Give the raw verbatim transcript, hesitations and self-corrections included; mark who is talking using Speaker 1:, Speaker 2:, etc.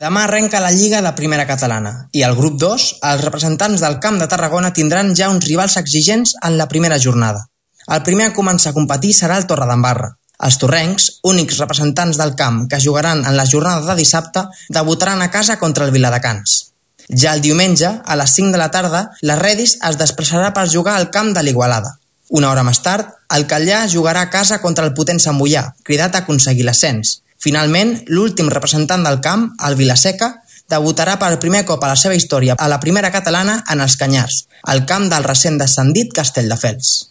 Speaker 1: Demà arrenca la Lliga de Primera Catalana i al grup dos, els representants del Camp de Tarragona tindran ja uns rivals exigents en la primera jornada. El primer a començar a competir serà el Torredembarra. Els torrencs, únics representants del camp que jugaran en la jornada de dissabte, debutaran a casa contra el Viladecans. Ja el diumenge, a les cinc de la tarda, la Redis es desplaçarà per jugar al camp de l'Igualada. Una hora més tard, el Catllà jugarà a casa contra el potent Sant Boià, cridat a aconseguir l'ascens. Finalment, l'últim representant del camp, el Vilaseca, debutarà per primer cop a la seva història a la Primera Catalana en els Canyars, al camp del recent descendit Castelldefels.